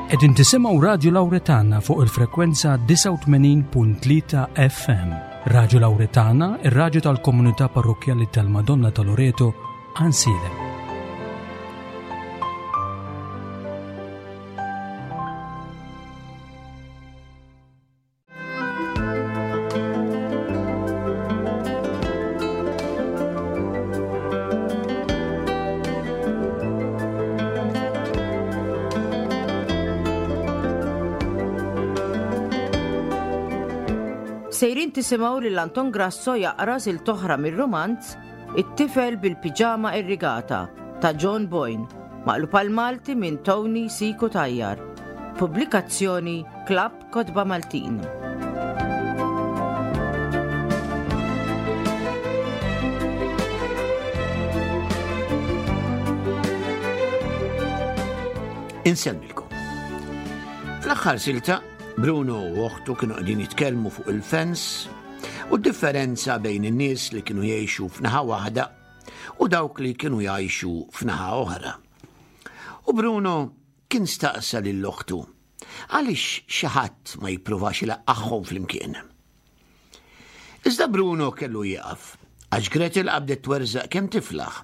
Qegħdin tisimgħu Radju Lawretana fuq il-frekwenza 89.3 FM. Radju Lawretana, ir-radju tal-komunità parrokkjali tal-Madonna ta' Loreto, Ansilem. Sejrin tisimgħu lil Anton Grasso jaqra silt oħra mir-rumanz It-tifel bil-piġama irrigata ta' John Boyne, maqlub għal Malti minn Tony Siku Tajjar. Pubblikazzjoni Klabb Kotba Maltin. Insellmilkom. Fl-aħħar silta, Bruno u oħtu kienu qegħdin jitkellmu fuq il-fens u d-differenza bejn in-nies li kienu jgħixu f'naħa waħda u dawk li kienu jgħixu f'naħa oħra. U Bruno kien staqsa lil oħtu Għaliex xi ħadd ma jippruvax ilaqqagħhom flimkien? Iżda Bruno kellu jieqaf, għax Gretel qabdet twerżaq kemm tiflaħ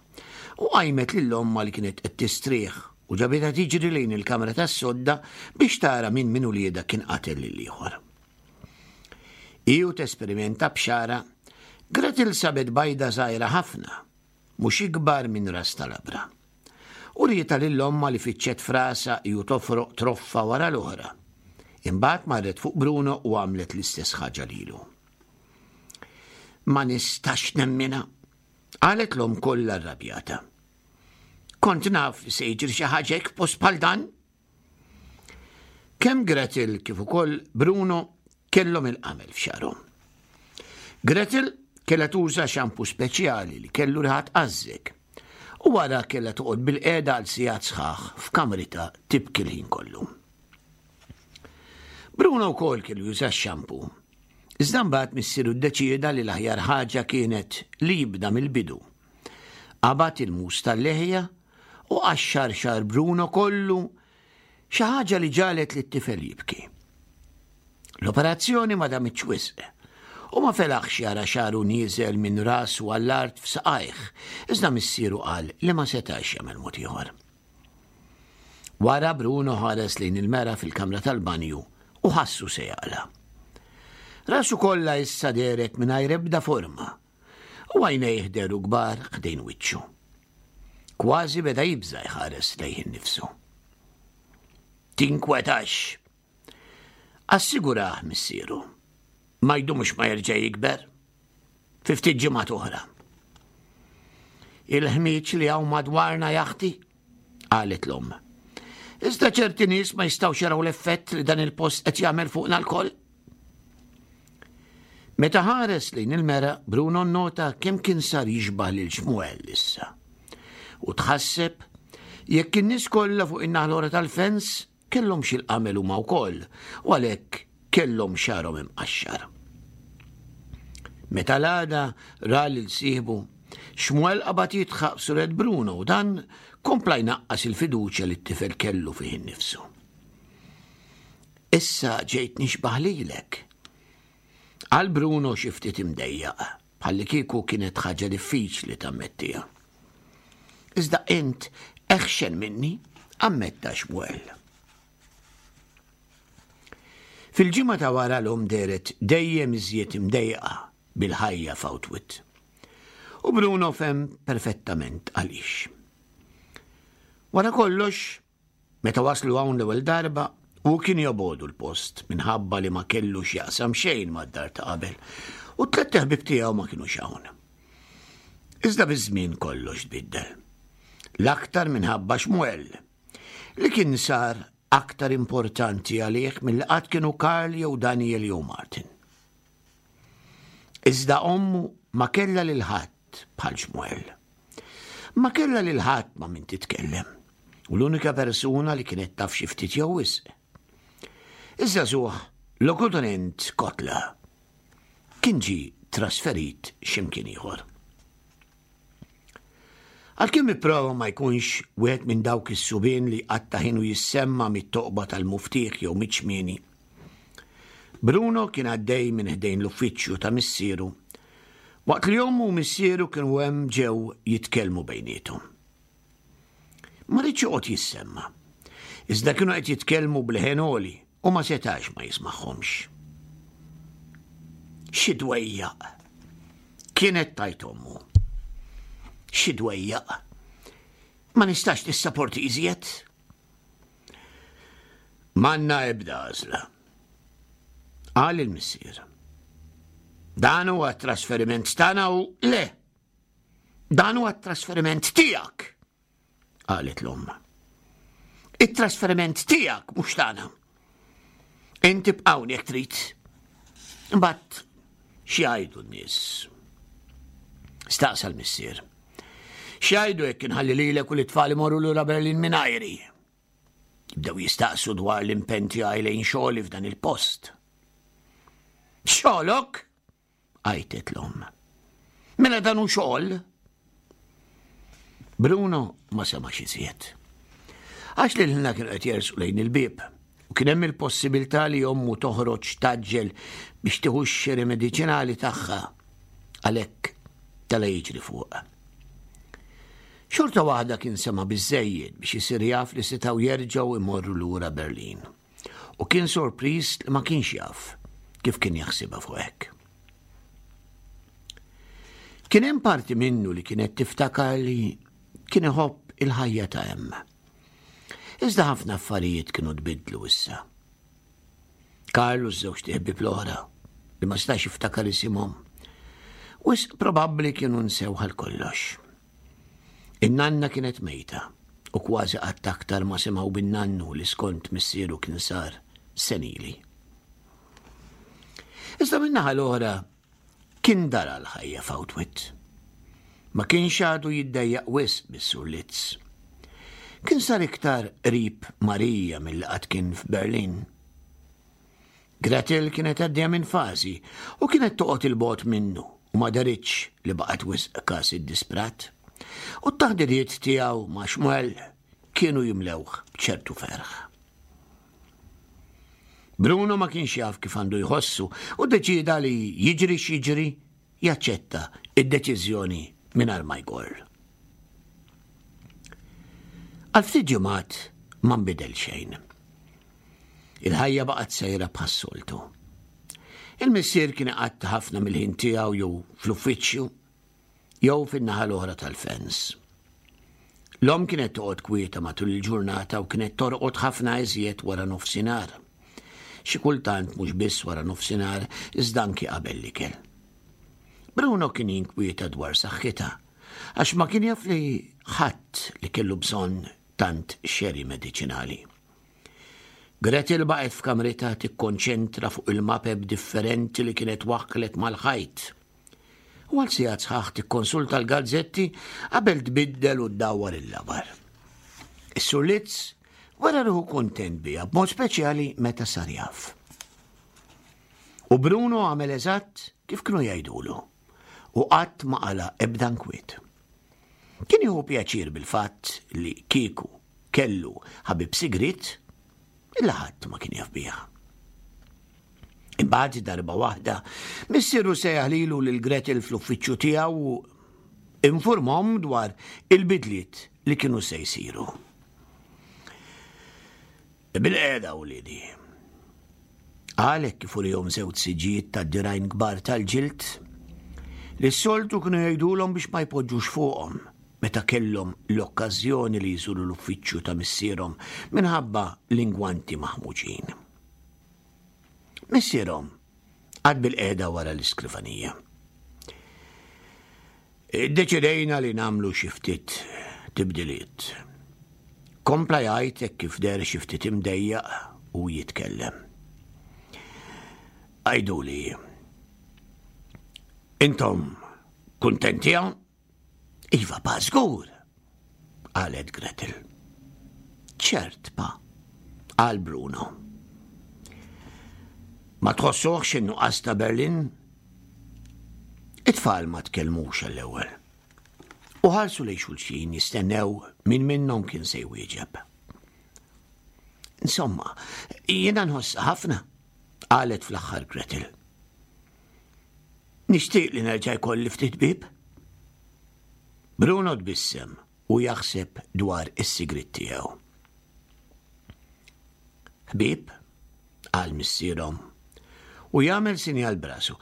u qajmet lil ommha li kienet qed tistrieħ u ġabitha tiġri lejn il-kamra tas-sodda biex tara min minn uliedha kien qatel lill-ieħor. Hi u tesperimenta b'xagħarha, Gretel sabet bajda żgħira ħafna mhux ikbar minn ras ta' labra. Urietha lil ommha li fittxet f'rasha hi u tofroq troffa wara l-oħra. Imbagħad marret fuq Bruno u għamlet l-istess ħaġa lilu. Ma nistax nemminha, qalet l-omm kollha rrabjata. Kont naf li se jiġri xi ħaġa hekk f'post bħal dan. Kemm Gretel kif ukoll Bruno kellhom il-qamel f'xagħarhom. Gretel kellha tuża xampu speċjali li kellu riħa tqażżek u wara kellha toqgħod bilqiegħda għal sigħat sħaħ f'kamritha tibki l-ħin kollu. Bruno wkoll kellu juża x-xampu. Iżda mbagħad missieru ddeċieda li l-aħjar ħaġa kienet li jibda mill-bidu. Qabad il-mus tal-leħja u qaxxar xagħar Bruno kollu, xi ħaġa li ġagħlet lit-tifel jibki. L-operazzjoni ma damitx wisq u ma felaħx jara xagħru nieżel minn rasu għall-art f'saqajh, iżda missieru qal li ma setax jagħmel mod ieħor. Wara Bruno ħares lejn il-mera fil-kamra tal-banju u ħassu se jaqla'. Rasu kollha issa dehret mingħajr ebda forma u għajnejh dehru kbar ħdejn wiċċu. Kważi beda jibża' jħares lejh innifsu. Tinkwetax! Assigurah missieru. Ma jdumx ma jerġa' jikber. Fi ftit ġimgħat oħra. Il-ħmieġ li hawn madwarna jaħti, qalet l-omm. Iżda ċerti nies ma jistgħux jaraw l-effett li dan il-post qed jagħmel fuqna lkoll. Meta ħares lejn il-mera, Bruno nnota kemm kien sar jixbah lil Xmuel issa. U tħasseb jekk in-nies kollha fuq in-naħa l-oħra tal-fens kellhomx il-qamel huma wkoll u għalhekk kellhom xagħarhom imqaxxar. Meta l-għada ra lil sieħbu, Xmuel qabad jidħaq b'suret Bruno u dan kompla jnaqqas il-fiduċja li t-tifel kellu fih innifsu. Issa ġejt nixbah lilek. Qal Bruno xi ftit imdejjaq, bħallikieku kienet ħaġa diffiċli tammettiha. Iżda int eħxen minni, ammetta Xmuel. Fil-ġimgħa ta' wara l-omm dehret dejjem iżjed imdejqa bil-ħajja f'Outwit. U Bruno fehem perfettament għaliex. Wara kollox, Meta waslu hawn l-ewwel darba, hu kien jobogħdu l-post minħabba li ma kellu x'jaqsam xejn mad-dar ta' qabel u t-tlett iħbieb tiegħu ma kinux hawn. Iżda biż-żmien kollox tbiddel. L-aktar minħabba Xmuel, li kien sar aktar importanti għalih milli qatt kienu Karl jew Daniel jew Martin. Iżda ommu ma kellha lil ħadd bħal Xmuel. Ma kellha lil ħadd ma' min titkellem, u l-unika persuna li kienet taf xi ftit jew wisq. Iż-żagħżugħ lokotenent Kotla kien ġie trasferit x'imkien ieħor. Għalkemm ipprova ma jkunx wieħed minn dawk is-subien li jqatta' ħinu jissemma' mit-toqba tal-muftieħ jew miċ-ċmieni. Bruno kien għaddej minn ħdejn l-uffiċċju ta' missieru waqt li ommu u missieru kienu hemm ġew jitkellmu bejniethom. Ma riedx joqgħod jissemma'. Iżda kienu qed jitkellmu b'leħen għoli u ma setax ma jismagħhomx. Xi dwejjaq! Kienet tgħid ommu. Xi dwejjaq! Ma nistax nissaporti iżjed. M'għandna ebda għażla. Qal il-missier. Dan huwa t-trasferiment tagħna u le! Dan huwa t-trasferiment tiegħek, qalet l-omm. It-trasferiment tiegħek mhux tagħna. Inti bqawni jekk trid. Imbagħad x'jgħidu n-nies? Staqsa l-missier. X'jgħidu jekk inħalli lilek u l-itfal imorru lura Berlin mingħajri? Jibdew jistaqsu dwar l-impenn tiegħi lejn xogħli f'dan il-post. Xogħlok? għajtet l-omm. Mela dan hu xogħol? Bruno ma semax iżjed. Għax li l-ħna kienu qed jersqu lejn il-bieb u kien hemm il-possibilità li ommu toħroġ taġġel biex tieħu x-xiri mediċinali tagħha għalhekk tela jiġri fuq. Xorta waħda kien sema biżejjed biex isir jaf li setgħu jerġgħu imorru lura Berlin. U kien sorpriż li ma kienx jaf kif kien jaħsibha fuq hekk. Kien hemm parti minnu li kienet tiftakar li kien iħobb il-ħajja ta' hemm. Iżda ħafna affarijiet kienu tbiddlu issa. Karl u ż-żewġ ħbieb l-oħra li ma stax jiftakar isimhom. Wisq probabbli kienu nsew għal kollox. In-nanna kienet mejta u kważi qatt aktar ma semgħu bin-nannu li skont missieru kien sar senili. Iżda min-naħa l-oħra kien dara l-ħajja f'Outwit. Ma kienx għadu jiddejjaq wisq bis-Sur Litz. Kien sar iktar qrib Marija milli qatt kien f'Berlin. Gretel kienet għaddejja minn fażi u kienet toqgħod 'il bogħod minnu u ma deritx li baqgħet wisq kas iddisprat. U t-taħdidiet tiegħu ma' Shmuel kienu jimlewh b'ċertu ferħ. Bruno ma kienx jaf kif għandu jħossu u ddeċieda li jiġri x'jiġri jaċċetta id-deċiżjoni mingħajr ma jgorr. Għal ftit ġimgħat ma nbidel xejn. Il-ħajja baqgħet sejra bħas-soltu. Il-missier kien iqatta' ħafna mill-ħin tiegħu jew fl-uffiċċju jew fin-naħa l-oħra tal-fens. L-omm kienet toqgħod kwieta matul il-ġurnata u kienet torqod ħafna iżjed wara nofsinhar. Xi kultant mhux biss wara nofsinhar iżda anki qabel l-ikel. Bruno kien jinkwieta dwar saħħitha għax ma kien jaf li ħadd li kellu bżonn tant xeri mediċinali. Gretel baqgħet f'kamritha tikkonċentra fuq il-mapep differenti li kienet waħħlet mal-ħajt. U għal sigħat sħaħ tikkonsulta l-gazzetti qabel tbiddel u ddawwar il-labar. Is-Sur Litz wera ruħu kuntent biha b'mod speċjali meta sar jaf. U Bruno għamel eżatt kif kienu jgħidulu u qatt ma qala ebda nkwiet. Kien jieħu pjaċir bil-fatt li kieku kellu ħabib sigriet illa ħadd ma kien jaf bih. Imbagħad darba waħda, missieru sejjaħ lilu lil Gretel fl-uffiċċju tiegħu u informhom dwar il-bidliet li kienu se jsiru. Bilqiegħda wliedi. Qal hekk kif urihom żewġ siġġijiet tad-dirgħajn kbar tal-ġild li s-soltu kienu jgħidulhom biex ma jpoġġux fuqhom meta kellhom l-okkażjoni li jżuru l-uffiċċju ta' missierhom minħabba l-ingwanti maħmuġin. Missierhom qagħad bilqiegħda wara l-iskrivanija. Iddeċidejna li nagħmlu xi ftit tibdiliet. Kompla jgħid hekk kif deher xi ftit imdejjaq u jitkellem. Għiduli, intom kuntenti hawn? Iva, pa, żgur, qalet Gretel. Ċert, pa, qal Bruno. Ma tħossuhx in-nuqqas ta' Berlin? It-tfal ma tkellmux għall-ewwel. U ħarsu lejn xulxin jistennew min minnhom kien se jwieġeb. Insomma, jiena nħoss ħafna, qalet fl-aħħar Gretel. Nixtieq li nerġa' jkolli ftit bib. Bruno tbissem u jaħseb dwar is-sigriet tiegħu. Ħbieb, qal missierhom, u jagħmel sinjal brasu.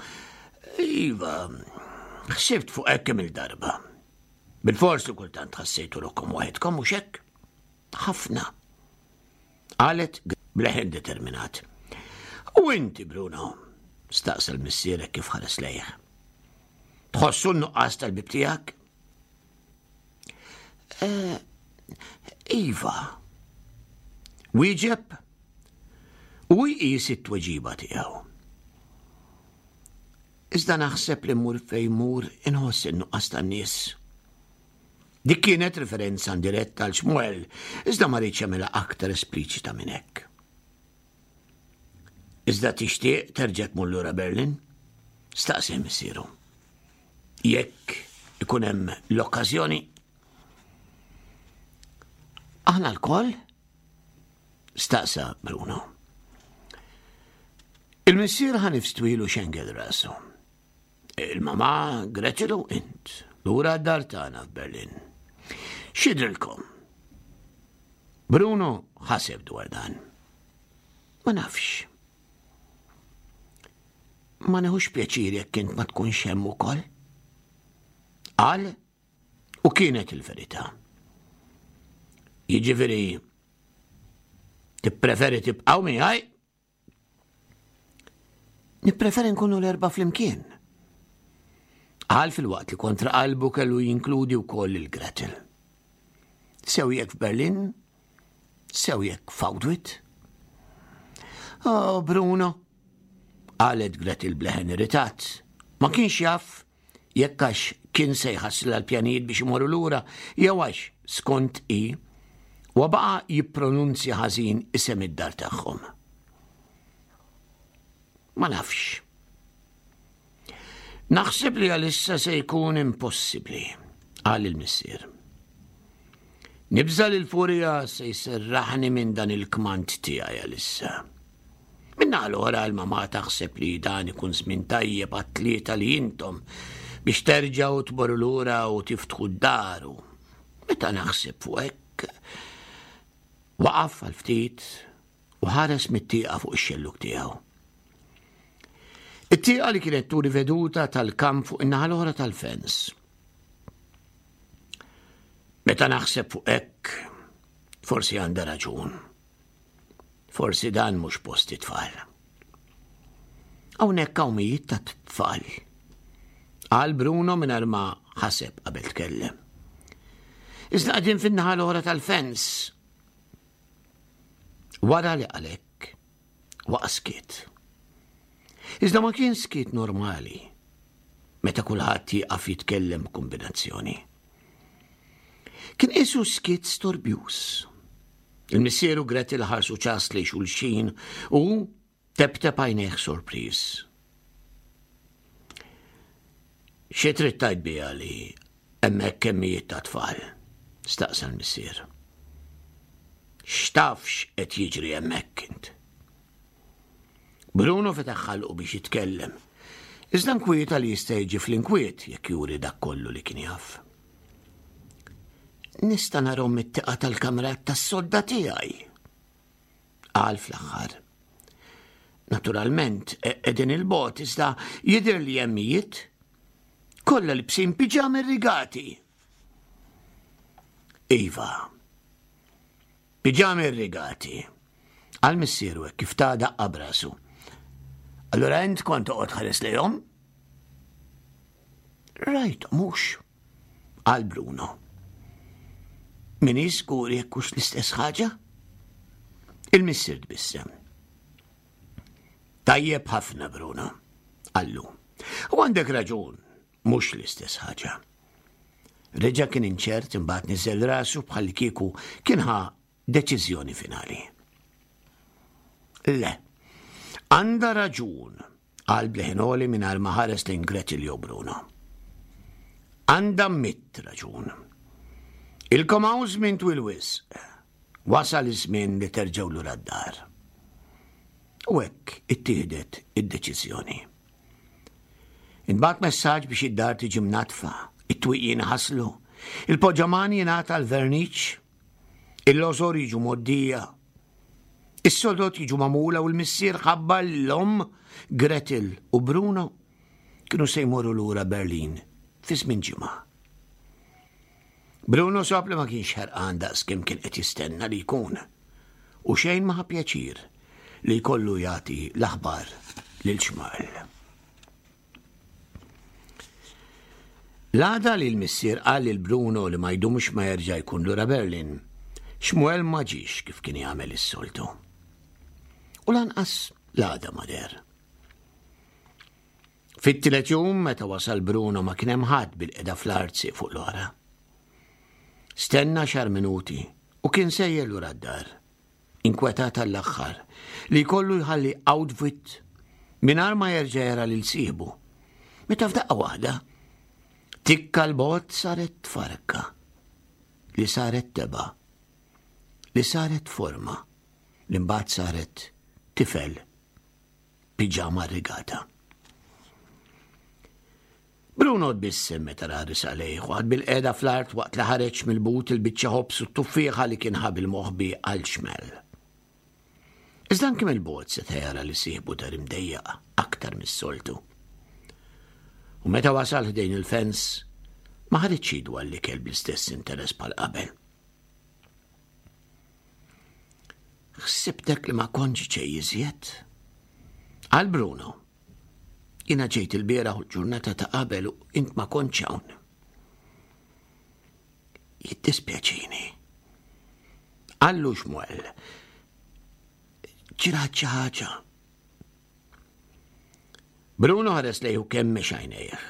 Iva, ħsibt fuq hekk kemm il-darba. Bil-fors li kultant ħassejtu ruħkom waħedkom mhux hekk? Ħafna. Qalet bleħen determinat. U inti, Bruno, staqsa l-missierek kif ħares lejh. Tħossu n-nuqqas tal-bib tiegħek? Eh, iva. Wieġeb u jqis it-tweġiba tiegħu. Iżda naħseb li mur fejn mur inħoss in-nuqqas tan-nies. Dik kienet referenza indiretta għal Xmuel, iżda ma rridx jagħmilha aktar espliċita minn hekk. Iżda tixtieq terġa' tmur lura Berlin? Staqsi missieru. Jekk ikun hemm l-okkażjoni. Aħna lkoll? Staqsa Bruno. Il-missier ħanif twilu xengel rasu. Il-mama Gretel u int, lura d-dar tagħna f'Berlin. X'jidhrilkom? Bruno ħaseb dwar dan. Ma nafx. Ma neħux pjaċir jekk int ma tkunx hemm ukoll. Qal u kienet il-verità. Jiġifieri tippreferi tibqgħu miegħi Nippreferi nkunu l-erba' flimkien. Qal filwaqt li kontra qalbu kellu jinkludi wkoll lil Gretel. Sew jekk f'Berlin, sew jekk f'Audwit. Oh, Bruno, qalet Gretel bleħen irritat. Ma kienx jaf jekk għax kien se jħassilha l-pjanijiet biex imorru lura jew għax, skont hi, huwa baqa' jippronunzja ħażin isem id-dar tagħhom. Ma nafx. Naħseb li għalissa se jkun impossibbli, qal il-missier. Nibża' li l-furja se jserraħni minn dan il-kmand tiegħi għalissa. Min-naħa l-oħra l-mamà taħseb li dan ikun żmien tajjeb għat-tlieta li intom biex terġgħu tmorru lura u tiftħu d-dar u meta naħseb fuq hekk waqaf għal ftit u ħares mit-tieqa fuq ix-xellug tiegħu. It-tieqa li kienet turi veduta tal-kamp fuq in-naħa l-oħra tal-fens. Meta naħseb fuq hekk, forsi għandha raġun. Forsi dan mhux post it-tfal. Hawnhekk hawn mijiet ta' tfal. Qal Bruno mingħajr ma ħaseb qabel tkellem. Iżda qegħdin fin-naħa l-oħra tal-fens. Wara li qalek, waqa' skiet. Iżda ma kien skiet normali meta kulħadd jieqaf jitkellem b'kombinazzjoni. Kien qisu skiet storbjuż. Il-missier u Gretel ħarsu ċas lejn xulxin u teptep għajnejh sorpriż. Xi trid tgħid biha li hemmhekk hemm mijiet ta' tfal? staqsa l-missier. X'taf x'qed jiġri hemmhekk int? Bruno fetaħ ħalqu biex jitkellem, iżda nkwieta li jista' jiġi fl-inkwiet jekk juri dak kollu li kien jaf. Nista' narhom mit-tieqa tal-kamra tas-sodda tiegħi. Qal fl-aħħar. Naturalment, e, qegħdin il-bot iżda jidher li hemm mijiet. Kollha libsin piġami rigati. Iva. Piġami rigati. Għal missieru hekk kif ta' daqqa brasu. Allura int kont toqgħod ħares lejhom? Rajt, mhux. Qal Bruno. Minix żgur jekk hux l-istess ħaġa? Il-missier tbissem. Tajjeb ħafna, Bruno, qallu. U għandek raġun, mhux l-istess ħaġa. Reġa' kien inċert imbagħad niżel rasu bħal kieku kien ħa deċiżjoni finali. Le, għandha raġun, qal b'leħen għoli mingħajr ma ħares lejn Gretel jew Bruno. Għandha mitt raġun. Ilkom hawn żmien twil wisq. Wasal iż-żmien li terġgħu lura d-dar. U hekk ittieħdet id-deċiżjoni. Intbagħat messaġġ biex id-dar tiġi mnaddfa, it-twieqi jinħaslu, il-poġġaman jingħata l-verniċ, il-lożor jiġu mgħoddija, is-sodod jiġu magħmula u l-missier ħabbar li l-omm, Gretel u Bruno kienu se jmorru lura Berlin fi żmien ġimgħa. Bruno sab li ma kienx ħerqan daqs kemm kien qed jistenna li jkun u xejn ma ħa pjaċir li jkollu jagħti l-aħbar lil Xmal. L-għada li l-missier qal lil Bruno li ma jdumx ma jerġa' jkun lura Berlin, Xmuel ma ġiex kif kien jagħmel is-soltu. U lanqas l-għada ma deher. Fit-tielet jum meta wasal Bruno ma kien hemm ħadd bil-qeda fl-art sieq fuq l-oħra. Stenna xar minuti u kien sejjer lura d-dar. Inkwetat għall-aħħar li jkollu jħalli outfit mingħajr ma jerġa' jara lil sieħbu. Meta f'daqqa waħda, tikka l-bot saret farka li saret teba li saret forma li mbagħad saret tifel piġama rrigata. Bruno tbissem meta ra risaq lejh u qagħad bil-qiegħda fl-art waqt li ħareġ mill-but il-biċċa ħobż u t-tuffieħa li kien ħa bil-moħbi għal xmel. Iżda anki mill-bogħod seta' jara li sieħbu dar imdejjaq aktar mis-soltu. U meta wasal ħdejn il-fens, ma ħaritx idu għall-ikel bl-istess interess bħal qabel. Ħsibtek li ma kontx ġej iżjed? Qal Bruno. Jiena ġejt il-bieraħ u l-ġurnata ta' qabel u int ma kontx hawn. Jiddispjaċini. Qallu Xmuel. Ġrat xi ħaġa. Bruno ħares lejh u kemmex għajnejh.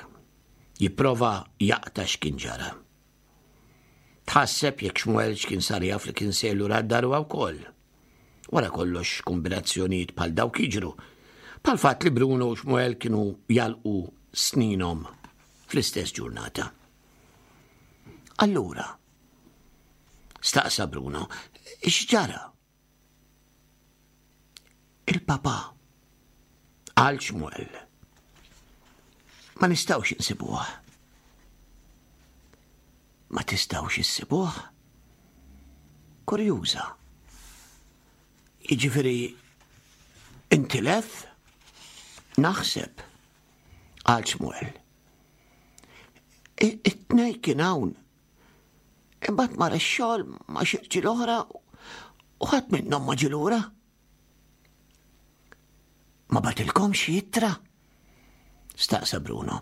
Jipprova jaqta' x'kien ġara. Tħasseb jekk Xmuel x'kien sar jaf li kien sejjer lura d-dar huwa wkoll. Wara kollox kombinazzjonijiet bħal dawk jiġru. Bħal fatt li Bruno u Xmuel kienu jalqu sninhom fl-istess ġurnata. Allura, staqsa Bruno, x'ġara? Il-papà, qal Xmuel. Ma nistgħux insibuh. Ma tistgħux issibuh? Kurjuża. Jiġifieri intilef? Naħseb, qal Xmuel. It-tnej kien hawn Imbagħad mar ix-xogħol ma' xi rġiel oħra u ħadd minnhom ma ġie lura. Ma batilkomx ittra? Staqsa Bruno.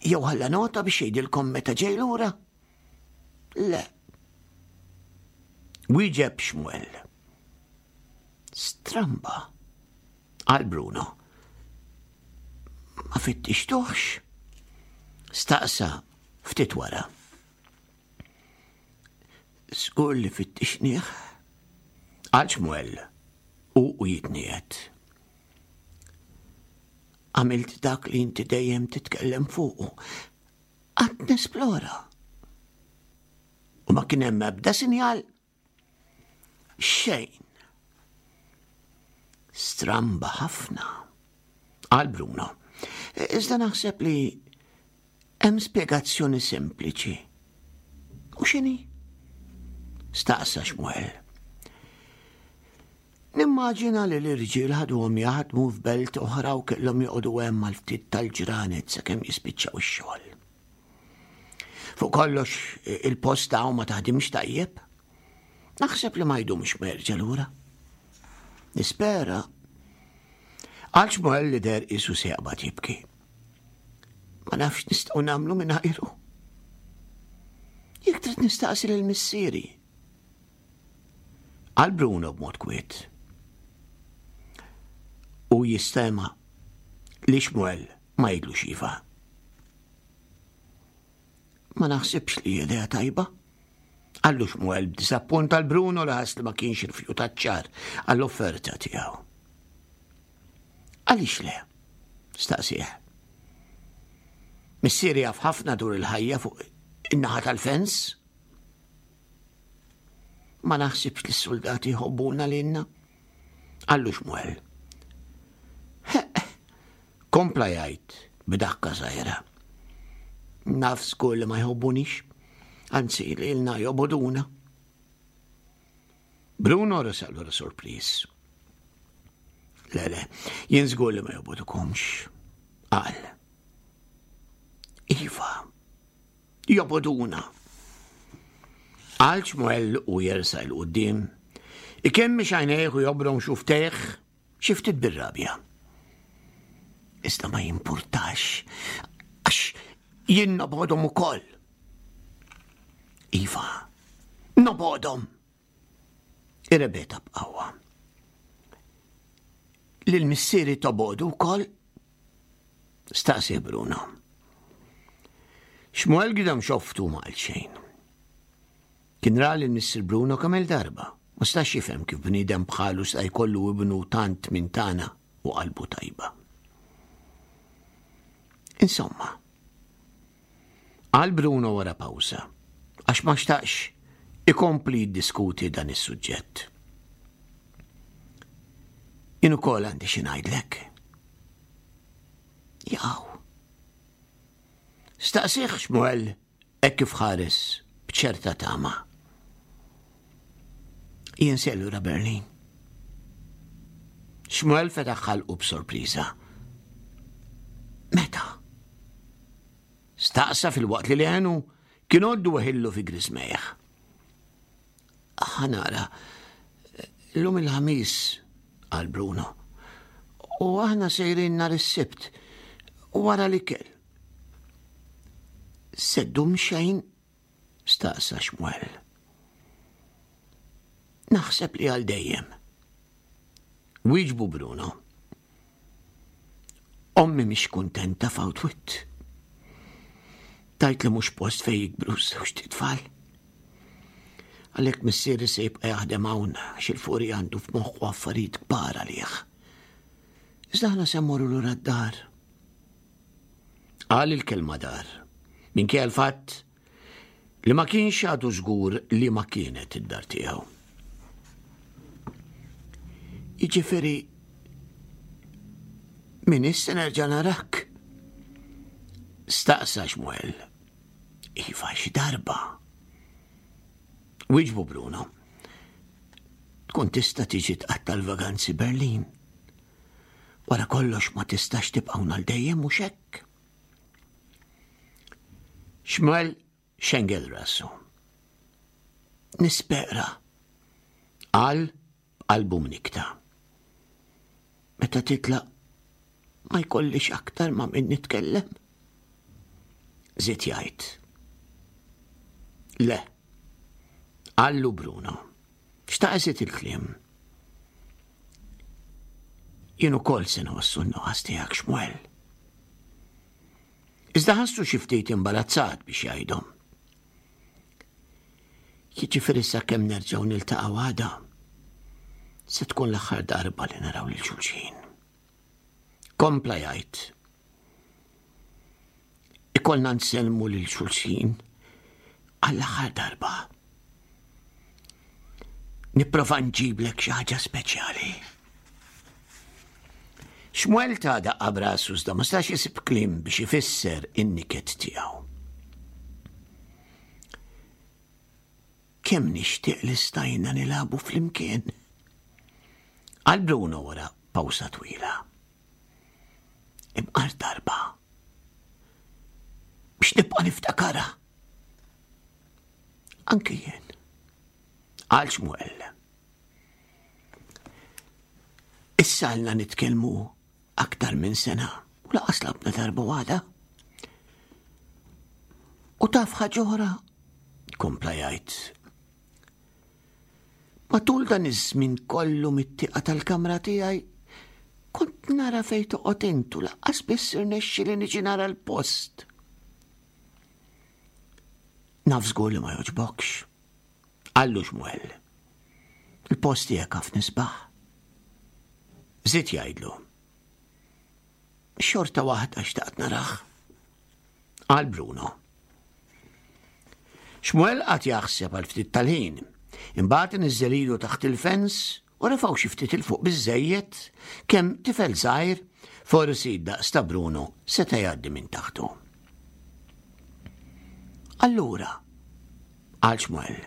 Jew ħalla nota biex jgħidilkom meta ġej lura? Le. Wieġeb Xmuel. Stramba, qal Bruno. Ma fittixtuhx? Staqsa Ftit wara. Żgur li fittixnieh, qal Xmuel u u jitniegħed. Għamilt dak li inti dejjem titkellem fuqu. Qatt nesplora. U ma kien hemm ebda sinjal Xejn. Stramba ħafna, qal Bruno. Iżda naħseb li hemm spjegazzjoni sempliċi. U x'inhi? Staqsa Xmuel. Nimmaġina li l-irġiel ħaduhom jaħdmu f'belt oħra u kellhom joqogħdu hemm għal ftit tal-ġranet sakemm jispiċċaw ix-xogħol. Fuq kollox il-posta hawn ma taħdimx tajjeb. Naħseb li ma jdumx ma jerġa' lura. Nispera. Għal Xmuel li der isu se jaqbad jibki. Ma nafx nistgħu nagħmlu mingħajru. Jekk trid nistaqsi lil missieri. Għal Bruno b'mod kwiet. U jistema li Xmuel ma jidlux iva. Ma naħsibx li idea tajba. Qallu Xmuel b'disappunt għal Bruno li ħass li ma kienx irfjutat ċar għall-offerta tiegħu. Għaliex le? Staqsih. Missieri jaf ħafna dwar il-ħajja fuq in-naħa tal-fens. Ma naħsibx li s-soldati jħobbuna lilna. Qallu Xmuel. Kompla jgħid b'dakka żgħira. Naf żgur li ma jħobbunix, anzi lilna joboduna. Bruno resaq lura sorpriż. Le, le, jien żgur li ma jobodukomx. Qal. Iva, joboduna. Qal Xmuel u jersa il qudiem ikemmix għajnejh u jobrom xuftejh xi ftit bir-rabja. Iżda ma jimpurtax, għax jien nobodhom ukoll. Iva, nobodhom. Irrebeta b'qawwa. Lil missieri tobodu wkoll? Staqsi Bruno. Xmuel gidam xoftu ma qal xejn. Kien ra lil Missier Bruno kemm-il darba. Ma stax jifhem kif bniedem bħalu sta jkollu ibnu tant minn tagħna u qalbu tajba. Insomma, qal Bruno wara pawża, għax ma xtaqx ikompli jiddiskuti dan is-suġġett. Jien ukoll għandi xi ngħidlek. Jaqaw. Staqsih Xmuel Hekk kif ħares b'ċerta tama. Jien se lura Berlin. Xmuel fetaħ ħalqu b'sorpriża. Meta? Staqsa fil-waqt li leħnu kien għoddu weħillu fi grismejh. Ħanara, l-lum il-ħamis, qal Bruno, u aħna sejrin nhar is-Sibt, wara l-ikel. Se ddum xejn? staqsa Xmuel. Naħseb li għal dejjem. Wieġbu Bruno. Ommi mhix kuntenta f'Outwit. Tajt li mhux post fejn jikbru żewġ tfal. Għalhekk missieri se jibqa' jaħdem hawn għax il-furi għandu f'moħħu affarijiet kbar għalih. Iżda aħna se mmorru lura d-dar. Qal il-kelma dar, minkejja l-fatt li ma kienx għadu żgur li ma kienet id-dar tiegħu. Jiġifieri min issa nerġa' narak? Staqsa Xmuel. Iva xi darba. Wieġbu Bruno. Tkun tista' tiġi tqatta' l-vaganzi Berlin. Wara kollox ma tistax tibqa' hawn għal dejjem mhux hekk? Xmuel xengel rasu. Nispera. Qal b'qalbu mnikta. Meta titlaq ma jkollix aktar ma' min nitkellem. Żied jgħid. Le. Qallu Bruno. Xtaq iżid il-kliem. Jien ukoll se nħossu n-nuqqas tiegħek Xmuel. Iżda ħassu xi ftit imbarazzat biex jgħidhom. Jiġifieri sakemm nerġgħu niltaqgħu għada, se tkun l-aħħar darba li naraw lil xulxin. Kompla jgħid. Ikollna nsellmu lil xulxin għall-aħħar darba. Nipprova nġiblek xi ħaġa speċjali. Xmuel ta' daqqa brasu iżda ma stax isib kliem biex ifisser in-niket tiegħu. Kemm nixtieq li stajna nilagħbu flimkien. Qal Bruno wara pawsa twila. Imqar darba. Biex nibqa' niftakarha. Anki jien. Qal Xmuel. Issa għalna nitkellmu aktar minn sena u laqas labna darba waħda. U taf ħaġa oħra, kompla jgħid. Matul dan iż-żmien kollu mit-tieqa tal-kamra tiegħi kont nara fejn toqgħod intu laqqas biss irnexxi li niġi nara l-post. Naf żgur li ma jogħġbokx. Qallu Xmuel. Il-post tiegħek ħafna isbaħ. Żied jgħidlu. Xorta waħda xtaqt narah. Qal Bruno. Xmuel qagħad jaħseb għal ftit tal-ħin. Imbagħad iniżżel idu taħt il-fens u refgħu xi ftit 'il fuq biżżejjed kemm tifel żgħir, forsi daqs ta' Bruno, seta' jgħaddi minn taħtu. Allura, qal Xmuel,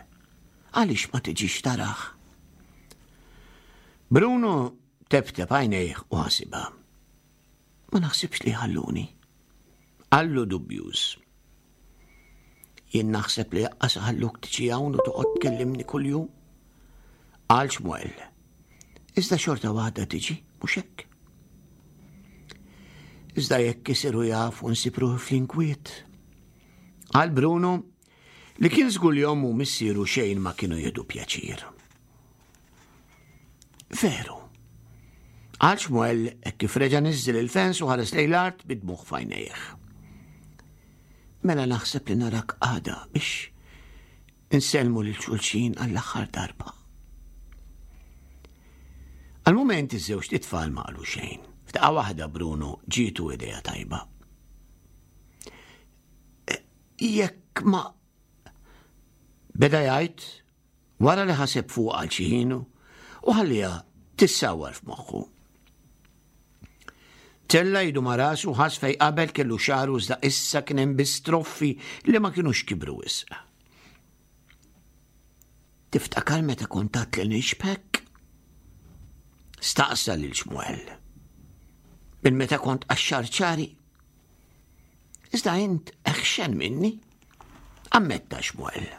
għaliex ma tiġix tarah? Bruno teptep għajnejh u ħasibha. Ma naħsibx li jħalluni. Qallu dubjuż. Jien naħseb li jaqqas ħalluk tiġi hawn u toqgħod tkellimni kuljum. Qal Xmuel. Iżda xorta waħda tiġi, mhux hekk? Iżda jekk isiru jafu nsib ruħi fl-inkwiet. Qal Bruno li kien żgur li ommu missieru xejn ma kienu jieħdu pjaċir. Veru. Qal Xmuel hekk kif reġa' niżżel il-fens u ħares lejn l-art bid-dmugħ f'għajnejh. Mela naħseb li narak għada biex insellmu lil xulxin għall-aħħar darba. Għal-moment iż-żewġt itfal ma qalu xejn. F'daqqa waħda Bruno ġietu idea tajba. E, jekk ma Beda jgħid Wara li ħaseb fuqha għal xi ħin u ħalliha tissawwar f'moħħu. Tella' idu ma' rasu ħass fejn qabel kellu xagħru iżda issa kien hemm biss troffi li ma kinux kibru wisq. Tiftakar meta kont għedt li nixbhek? Staqsa lil Xmuel. Minn meta kont qaxxar ċari? Iżda int eħxen minni, ammetta Xmuel.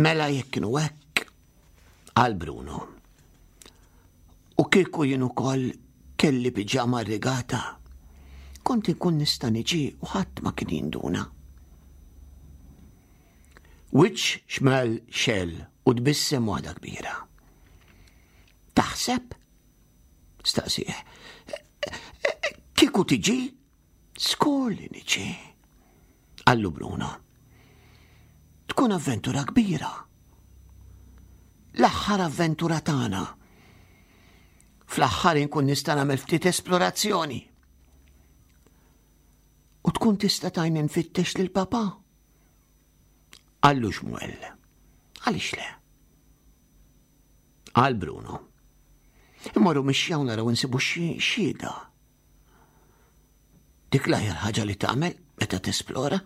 Mela jekk kienu hekk, qal Bruno. U kieku jien ukoll kelli piġama rigata, kont inkun nista' niġi u ħadd ma kien jinduna. Wiċċ xmel xell u tbissem waħda kbira. Taħseb? Staqsih. Kieku tiġi? Skur li niġi. Qallu Bruno. Tkun avventura kbira. L-aħħar avventura tagħna. Fl-aħħar inkun nista' nagħmel ftit esplorazzjoni. U tkun tista' tajni nfittex lil papa. Qallu Xmuel. Għaliex le? Qal Bruno. Immorru mixja u naraw insibu xi xhieda. Dik l-aħjar ħaġa li tagħmel meta tesplora.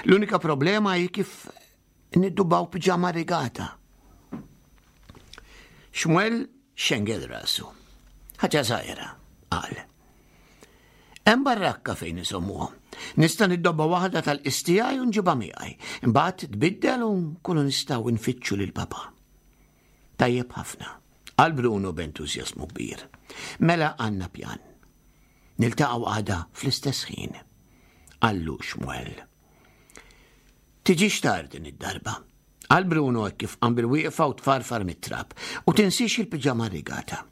L-unika problema hi kif niddubaw piġama rigata. Xmuel xengel rasu. Ħaġa żgħira, qal. Hemm barrakka fejn isommuhom. Nista' niddobba waħda tal-qis tiegħi u nġibha miegħi. Imbagħad tbiddel u nkunu nistgħu nfittxu lil papà. Tajjeb ħafna, qal Bruno b'entużjażmu kbir. Mela għandna pjan. Niltaqgħu għada fl-istess ħin. Qallu Xmuel. Tiġix tard din id-darba. Qal Bruno hekk kif qam bil-wieqfa u tfarfar mit-trab u tinsiex il-piġama rigata.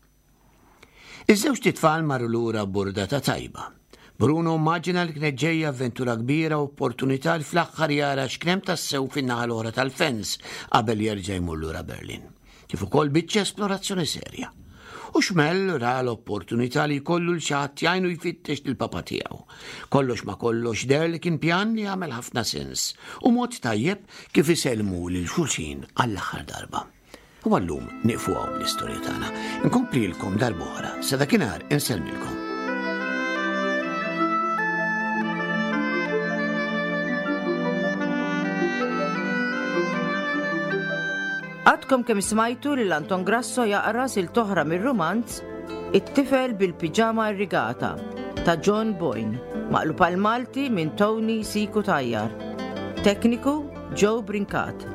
Iż-żewġt itfal marru lura b'burdata tajba. Bruno mmaġina li kienet ġejja avventura kbira u opportunità li fl-aħħar jara x'kien hemm tassew fin-naħa l-oħra tal-fens qabel jerġa' jmur lura Berlin. Kif ukoll biċċa esplorazzjoni serja. U Xmel ra l-opportunità li jkollu l xi ħadd jgħinu jfittex lill-papa tiegħu. Kollox ma kollox deher li kien pjan li jagħmel ħafna sens u mod tajjeb kif isellmu lil xulxin għall-aħħar darba. U għallum nieqfu hawn bl-istorja tagħna. Nkomplilkom darb'oħra, sa dakinhar insellmilkom. Għadkom kemm smajtu lil Anton Grasso jaqra silta oħra mir-rumanz It-tifel bil-piġama irrigata ta' John Boyne, maqlub għal Malti minn Tony Siku Tajjar. Tekniku Joe Brincat.